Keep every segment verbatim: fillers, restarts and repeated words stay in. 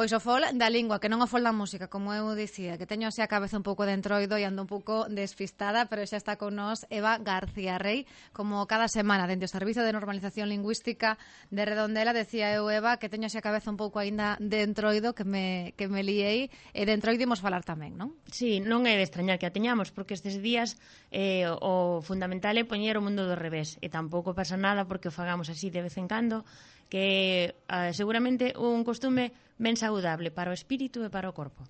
Pois o fol da lingua, que non o fol da música, como eu dicía, que teño así a cabeza un pouco de entroido e ando un pouco despistada, pero xa está con nós Eva García Rey, como cada semana, dentro do Servicio de Normalización Lingüística de Redondela. Decía eu, Eva, que teño así a cabeza un pouco aínda de entroido, que me, que me liei, e de entroido imos falar tamén, non? Sí, non é de extrañar que a teñamos, porque estes días eh, o fundamental é poñer o mundo do revés, e tampouco pasa nada porque o fagamos así de vez en cando, que eh, seguramente un costume ben saudable para o espírito e para o corpo.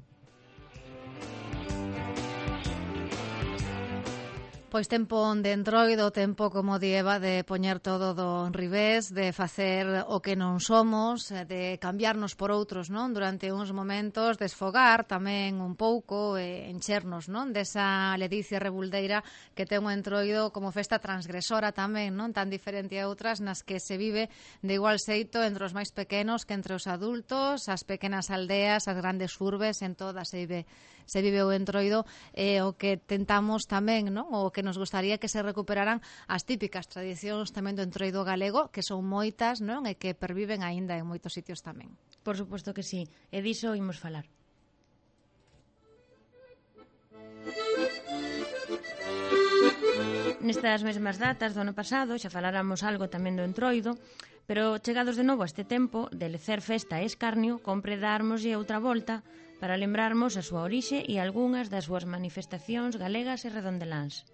Pois tempo de entroido, tempo, como di Eva, de poñer todo do revés, de facer o que non somos, de cambiarnos por outros, non? Durante uns momentos, desfogar tamén un pouco, e enchernos, non? Desa ledicia rebuldeira que ten o entroido como festa transgresora tamén, non? Tan diferente a outras nas que se vive de igual xeito entre os máis pequenos que entre os adultos, as pequenas aldeas, as grandes urbes, en todas se vive, se vive o entroido, e o que tentamos tamén, non? O que que nos gustaría que se recuperaran as típicas tradicións tamén do entroido galego, que son moitas, non? E que perviven aínda en moitos sitios tamén. Por suposto que sí, e diso imos falar. Nestas mesmas datas do ano pasado xa faláramos algo tamén do entroido, pero chegados de novo a este tempo de lecer festa e escarnio, compre darmoslle outra volta para lembrarmos a súa orixe e algunhas das súas manifestacións galegas e redondeláns.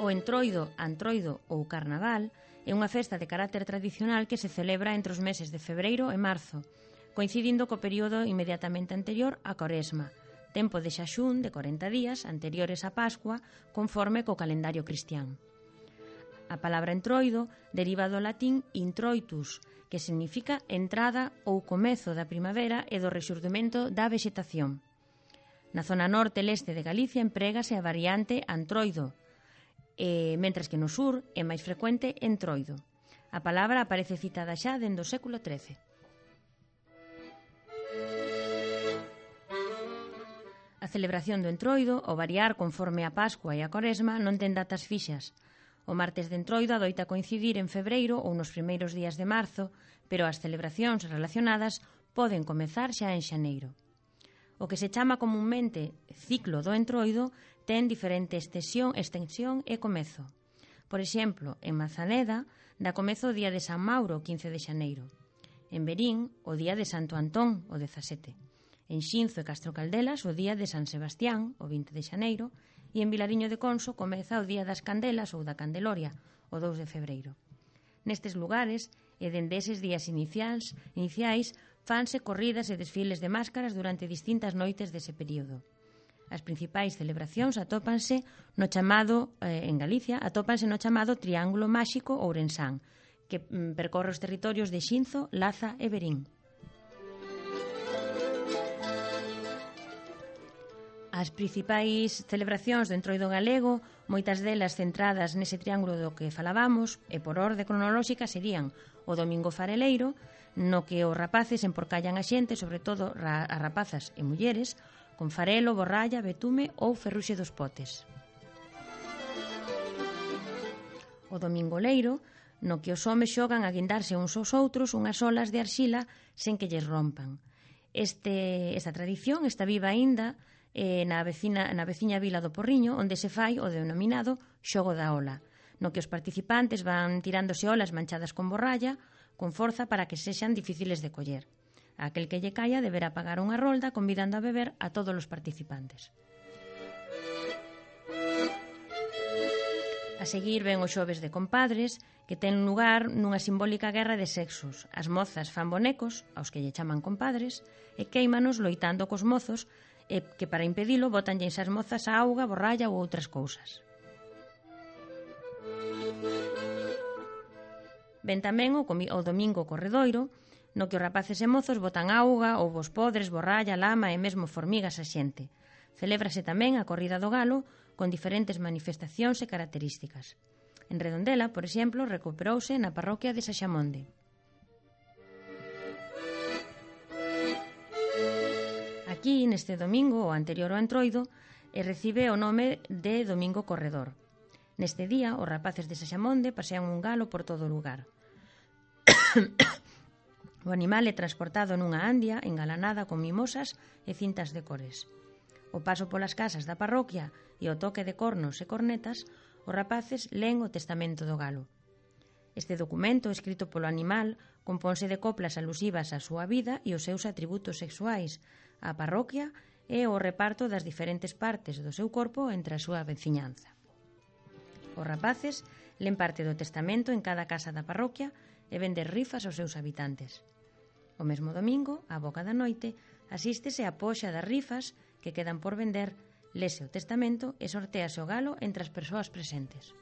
O entroido, antroido ou carnaval é unha festa de carácter tradicional que se celebra entre os meses de febreiro e marzo, coincidindo co período inmediatamente anterior á Coresma, tempo de xaxún de corenta días anteriores á Pascua, conforme co calendario cristián. A palabra entroido deriva do latín introitus, que significa entrada ou comezo da primavera e do rexurdimento da vexetación. Na zona norte e leste de Galicia emprégase a variante antroido, e, mentras que no sur é máis frecuente entroido. A palabra aparece citada xa dende o século trece. A celebración do entroido, ao variar conforme a Pascua e a Coresma, non ten datas fixas. O martes de entroido adoita coincidir en febreiro ou nos primeiros días de marzo, pero as celebracións relacionadas poden comezar xa en xaneiro. O que se chama comunmente ciclo do entroido ten diferente extensión, extensión e comezo. Por exemplo, en Mazaneda dá comezo o día de San Mauro, o quince de xaneiro. En Verín, o día de Santo Antón, o dezasete. En Xinzo e Castro Caldelas, o día de San Sebastián, o vinte de xaneiro. E en Vilariño de Conso comeza o día das Candelas ou da Candeloria, o dous de febreiro. Nestes lugares, e dende eses días iniciais, iniciais fanse corridas e desfiles de máscaras durante distintas noites dese período. As principais celebracións atópanse no chamado, eh, en Galicia, atópanse no chamado Triángulo Máxico ourensán, que mm, percorre os territorios de Xinzo, Laza e Verín. As principais celebracións do entroido galego, moitas delas centradas nese triángulo do que falábamos, e por orde cronolóxica serían o Domingo Fareleiro, no que os rapaces emporcallan a xente, sobre todo as rapazas e mulleres, con farelo, borralla, betume ou ferruxe dos potes. O Domingo Leiro, no que os homes xogan a guindarse uns aos outros unhas olas de arxila sen que lles rompan. Este, esta tradición está viva aínda eh, na, vecina, na veciña vila do Porriño, onde se fai o denominado xogo da ola, no que os participantes van tirándose olas manchadas con borralla, con forza para que sexan difíciles de coller. Aquel que lle caia deberá pagar unha rolda convidando a beber a todos os participantes. A seguir ven os xoves de compadres, que ten lugar nunha simbólica guerra de sexos. As mozas fan bonecos, aos que lle chaman compadres, e queimanos loitando cos mozos, e que para impedilo botanlle esas mozas a auga, borralla ou outras cousas. Ven tamén o, o Domingo Corredoiro, no que os rapaces e mozos botan auga, ovos podres, borralla, lama e mesmo formigas a xente. Celébrase tamén a corrida do galo con diferentes manifestacións e características. En Redondela, por exemplo, recuperouse na parroquia de Saxamonde. Aquí, neste domingo, o anterior ao entroido, recibe o nome de Domingo Corredor. Neste día, os rapaces de Saxamonde pasean un galo por todo o lugar. O animal é transportado nunha andia engalanada con mimosas e cintas de cores. O paso polas casas da parroquia e o toque de cornos e cornetas, os rapaces len o testamento do galo. Este documento, escrito polo animal, compónse de coplas alusivas á súa vida e os seus atributos sexuais, á parroquia e o reparto das diferentes partes do seu corpo entre a súa veciñanza. Os rapaces len parte do testamento en cada casa da parroquia e venden rifas aos seus habitantes. O mesmo domingo, á boca da noite, asístese a poxa das rifas que quedan por vender, lese o testamento e sortease o galo entre as persoas presentes.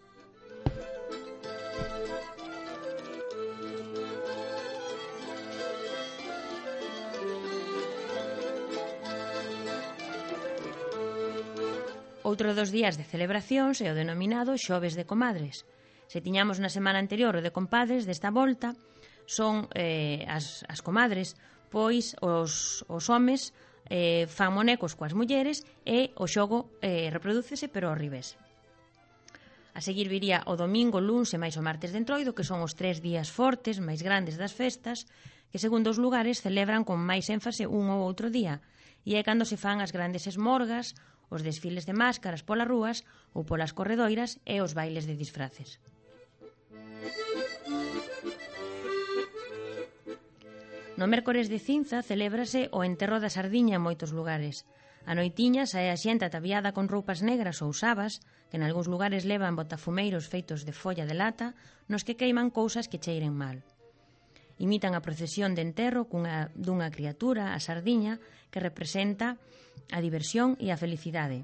Outro dos días de celebracións é o denominado Xoves de Comadres. Se tiñamos na semana anterior o de compadres, desta volta son eh, as, as comadres, pois os, os homes eh, fan monecos coas mulleres e o xogo eh, reprodúcese pero ao revés. A seguir viría o domingo, luns e máis o martes de Entroido, que son os tres días fortes, máis grandes das festas, que segundo os lugares celebran con máis énfase un ou outro día, e é cando se fan as grandes esmorgas, os desfiles de máscaras polas rúas ou polas corredoiras e os bailes de disfraces. No mércores de cinza celébrase o enterro da sardiña en moitos lugares. A noitiña sae a xente ataviada con roupas negras ou sabas, que en algúns lugares levan botafumeiros feitos de folla de lata, nos que queiman cousas que cheiren mal. Imitan a procesión de enterro cunha, dunha criatura, a sardiña, que representa a diversión e a felicidade.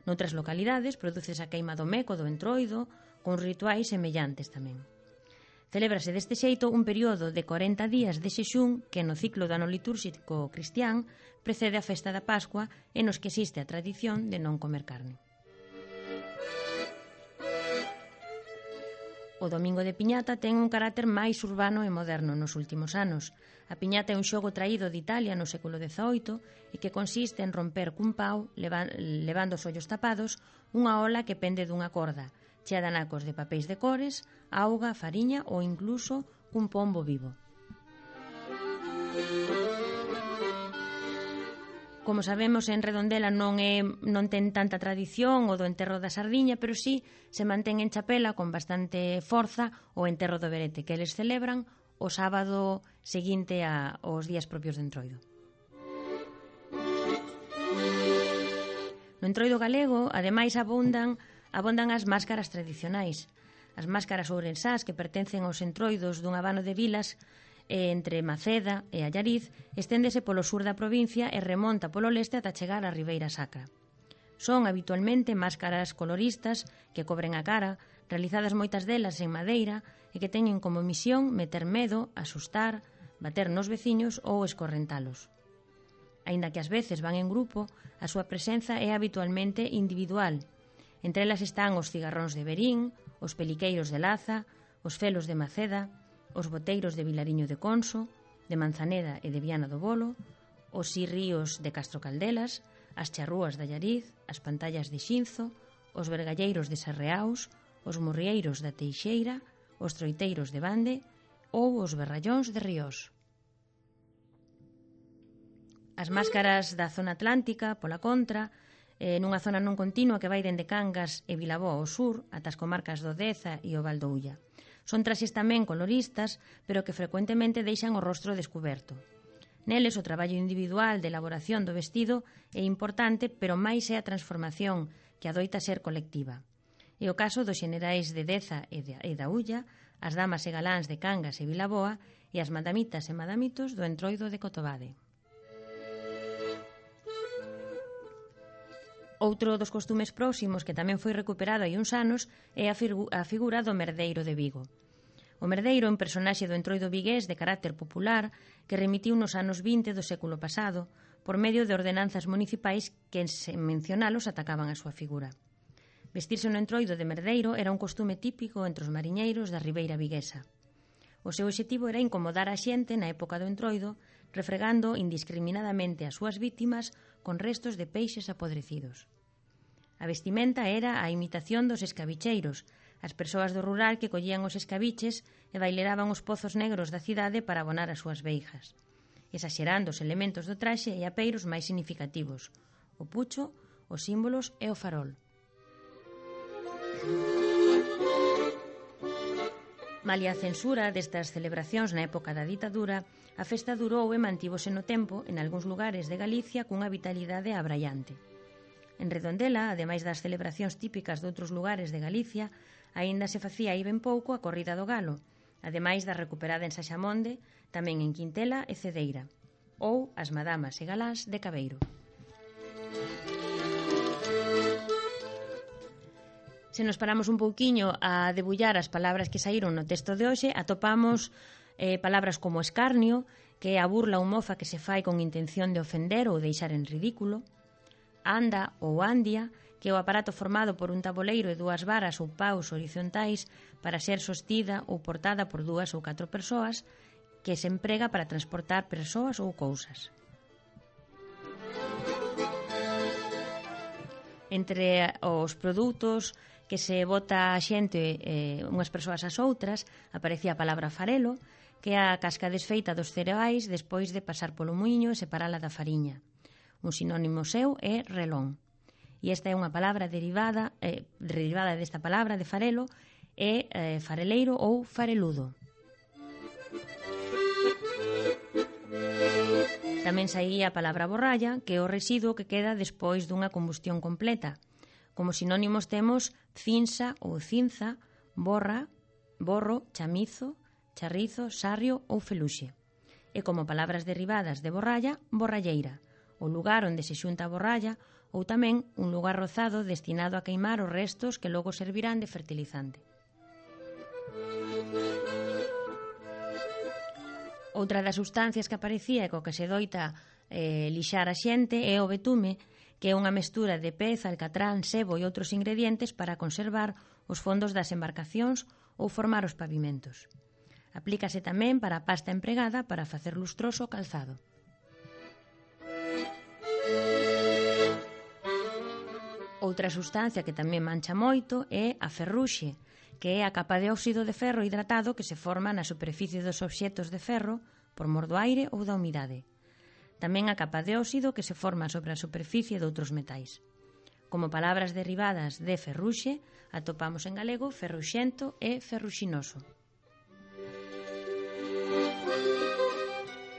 Noutras localidades produces a queima do meco do Entroido, con rituais semellantes tamén. Celébrase deste xeito un período de corenta días de xexún que no ciclo do ano litúrxico cristián precede a festa da Pascua e nos que existe a tradición de non comer carne. O Domingo de Piñata ten un carácter máis urbano e moderno nos últimos anos. A piñata é un xogo traído de Italia no século dezaoito e que consiste en romper cun pau, levando os ollos tapados, unha ola que pende dunha corda, chea de anacos de papéis de cores, auga, fariña ou incluso un pombo vivo. Como sabemos, en Redondela non é non ten tanta tradición o do enterro da sardiña, pero sí se mantén en Chapela con bastante forza o enterro do berete, que eles celebran o sábado seguinte a, aos días propios de Entroido. No Entroido galego, ademais, abundan, abundan as máscaras tradicionais. As máscaras ourensás que pertencen aos entroidos dun abano de vilas entre Maceda e Allariz, esténdese polo sur da provincia e remonta polo leste ata chegar á Ribeira Sacra. Son habitualmente máscaras coloristas que cobren a cara, realizadas moitas delas en madeira e que teñen como misión meter medo, asustar, bater nos veciños ou escorrentalos. Aínda que ás veces van en grupo, a súa presenza é habitualmente individual. Entre elas están os cigarróns de Verín, os peliqueiros de Laza, os felos de Maceda, os boteiros de Vilariño de Conso, de Manzaneda e de Viana do Bolo, os sirríos de Castro Caldelas, as charrúas de Allariz, as pantallas de Xinzo, os vergalleiros de Sarreaus, os morrieiros da Teixeira, os troiteiros de Bande ou os berrallóns de Ríos. As máscaras da zona atlántica, pola contra, eh, nunha zona non continua que vai dende Cangas e Vilaboa ao sur, ata as comarcas do Deza e o Val do Ulla. Son traxes tamén coloristas, pero que frecuentemente deixan o rostro descuberto. Neles, o traballo individual de elaboración do vestido é importante, pero máis é a transformación, que adoita ser colectiva. É o caso dos xenerais de Deza e, de, e da Ulla, as damas e galáns de Cangas e Vilaboa e as madamitas e madamitos do Entroido de Cotobade. Outro dos costumes próximos que tamén foi recuperado hai uns anos é a, figu- a figura do merdeiro de Vigo. O merdeiro é un personaxe do Entroido vigués de carácter popular que remitiu nos anos vinte do século pasado por medio de ordenanzas municipais que, sen mencionalos, atacaban a súa figura. Vestirse no Entroido de merdeiro era un costume típico entre os mariñeiros da Ribeira viguesa. O seu obxectivo era incomodar a xente na época do Entroido, refregando indiscriminadamente as súas vítimas con restos de peixes apodrecidos. A vestimenta era a imitación dos escabicheiros, as persoas do rural que collían os escabiches e baileraban os pozos negros da cidade para abonar as súas veijas, exaxerando os elementos do traxe e apeiros máis significativos, o pucho, os símbolos e o farol. Malia a censura destas celebracións na época da ditadura, a festa durou e mantívose no tempo en algúns lugares de Galicia cunha vitalidade abraiante. En Redondela, ademais das celebracións típicas de outros lugares de Galicia, aínda se facía aí ben pouco a corrida do galo, ademais da recuperada en Saxamonde, tamén en Quintela e Cedeira, ou as madamas e galáns de Cabeiro. Se nos paramos un pouquiño a debullar as palabras que saíron no texto de hoxe, atopamos eh, palabras como escarnio, que é a burla ou mofa que se fai con intención de ofender ou deixar en ridículo, anda ou andia, que é o aparato formado por un taboleiro e dúas varas ou paus horizontais para ser sostida ou portada por dúas ou catro persoas, que se emprega para transportar persoas ou cousas. Entre os produtos que se bota a xente eh, unhas persoas ás outras, aparecía a palabra farelo, que é a casca desfeita dos cereais despois de pasar polo muiño e separala da fariña. Un sinónimo seu é relón. E esta é unha palabra derivada, eh, derivada desta palabra de farelo, é eh, fareleiro ou fareludo. Tamén saía a palabra borralla, que é o residuo que queda despois dunha combustión completa. Como sinónimos temos cinza ou cinza, borra, borro, chamizo, charrizo, sarrio ou feluxe. E como palabras derivadas de borralla, borralleira, o lugar onde se xunta a borralla, ou tamén un lugar rozado destinado a queimar os restos que logo servirán de fertilizante. Outra das sustancias que aparecía e co que se doita eh, lixar a xente é o betume, que é unha mestura de pez, alcatrán, sebo e outros ingredientes para conservar os fondos das embarcacións ou formar os pavimentos. Aplícase tamén para a pasta empregada para facer lustroso o calzado. Outra sustancia que tamén mancha moito é a ferruxe, que é a capa de óxido de ferro hidratado que se forma na superficie dos obxectos de ferro por mor do aire ou da humidade. Tamén a capa de óxido que se forma sobre a superficie de outros metais. Como palabras derivadas de ferruxe, atopamos en galego ferruxento e ferruxinoso.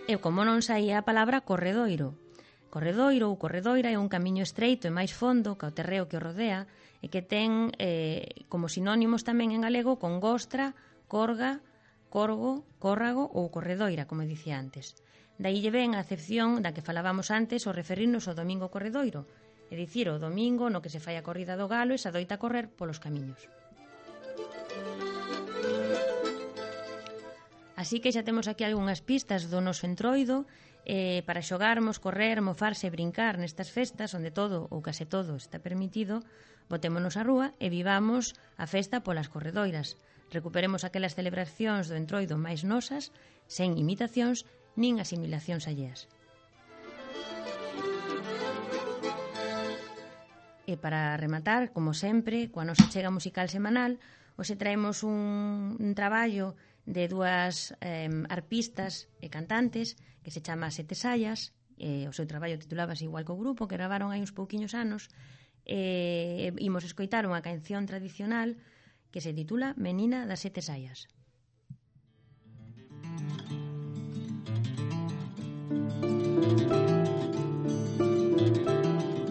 E como non saía a palabra corredoiro. Corredoiro ou corredoira é un camiño estreito e máis fondo que o terreo que o rodea e que ten eh, como sinónimos tamén en galego con gostra, corga, corgo, córrago ou corredoira, como dicía antes. Daí lle ven a acepción da que falábamos antes ao referirnos ao domingo corredoiro, é dicir, o domingo no que se fai a corrida do galo e se adoita correr polos camiños. Así que xa temos aquí algunhas pistas do noso entroido eh, para xogarmos, correr, mofarse e brincar nestas festas onde todo ou case todo está permitido. Botémonos á rúa e vivamos a festa polas corredoiras. Recuperemos aquelas celebracións do entroido máis nosas, sen imitacións nin asimilacións alleas. E para rematar, como sempre, coa nosa chega musical semanal, hoxe traemos un, un traballo de dúas eh, arpistas e cantantes que se chama Sete Saias, e o seu traballo titulábase igual co grupo, que gravaron hai uns pouquiños anos, e imos escoitar unha canción tradicional que se titula Menina das Sete Saias.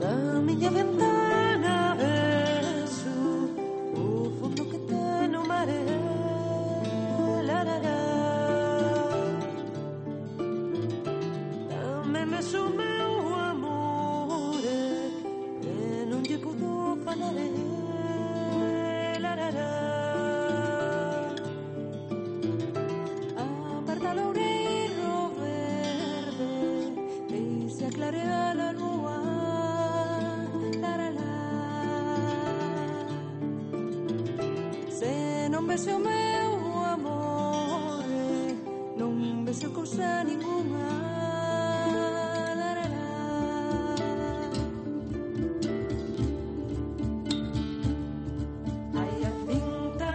Da miña ventana vexo o fondo que ten o mare, larará. Tamén vexo o meu amore que non lle pudo falar, larará. A parda loureiro verde e se aclarea la lúa. Non vese o meu amore, non vese cousa ninguna. Hai a cinta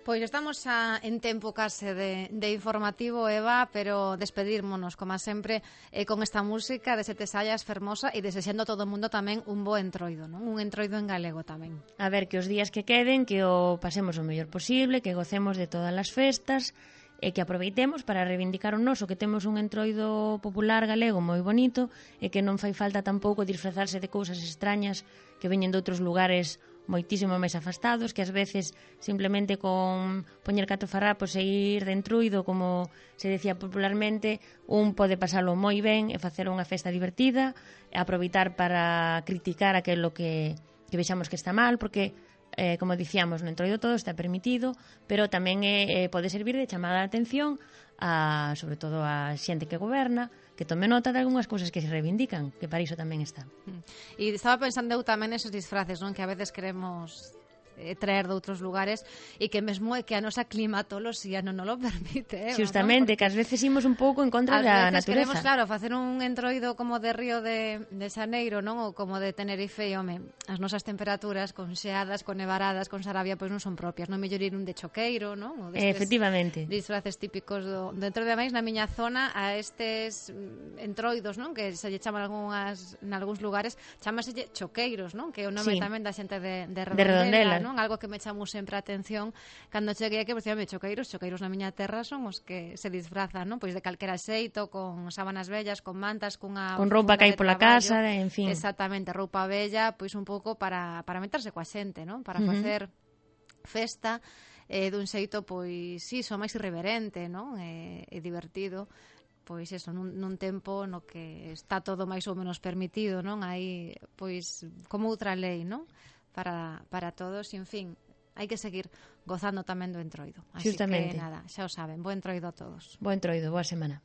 Pois estamos xa en tempo case de, de informativo, Eva, pero despedírmonos, como sempre, eh, con esta música de Sete Sallas fermosa e desexando a todo o mundo tamén un bo entroido, non? Un entroido en galego tamén. A ver, que os días que queden, que o pasemos o mellor posible, que gocemos de todas as festas, e que aproveitemos para reivindicar o noso, que temos un entroido popular galego moi bonito e que non fai falta tampouco disfrazarse de cousas extrañas que veñen de outros lugares moitísimo máis afastados, que ás veces simplemente con poñer catro farrapos e ir de entruido, como se decía popularmente, un pode pasalo moi ben e facer unha festa divertida, e aproveitar para criticar aquilo que, que vexamos que está mal, porque eh, como dicíamos, no entroido todo está permitido, pero tamén eh, pode servir de chamada de atención a, sobre todo a xente que goberna, que tome nota de algunhas cousas que se reivindican, que para iso tamén está. E estaba pensando eu tamén nesos disfraces, non? Que a veces queremos eh, traer de outros lugares e que mesmo é que a nosa climatoloxía non nos lo permite, eh, Justamente, ¿no? que ás veces imos un pouco en contra da natureza. Queremos, natureza. claro, facer un entroido como de Río de, de Xaneiro, non? Ou como de Tenerife, e, home, as nosas temperaturas con xeadas, con nevaradas, con Sarabia, pois non son propias. Non mellor ir un de choqueiro, non? Ou destes Efectivamente. disfraces típicos do, dentro de máis na miña zona a estes mm, entroidos, non? Que se lle chaman algunhas, en algúns lugares, chamaselle choqueiros, non? Que é o nome Sí. tamén da xente de, de De Redondela. non? Algo que me chamou sempre a atención cando cheguei aquí, pois, dicíame, choqueiros, choqueiros na miña terra son os que se disfrazan, non? Pois de calquera xeito, con sábanas vellas, con mantas, cunha Con roupa funda que hai de pola traballo. casa, en fin. Exactamente, roupa bella, pois un pouco para, para meterse coa xente, non? Para Ujú. facer festa eh, dun xeito, pois, si, so máis irreverente, non? E, e divertido. Pois eso, nun, nun tempo no que está todo máis ou menos permitido, non? Hai, pois, como outra lei, non? Para, para todos, e, en fin, hai que seguir gozando tamén do entroido. Así Justamente. que, nada, xa o saben, bo entroido a todos. Bo entroido, boa semana.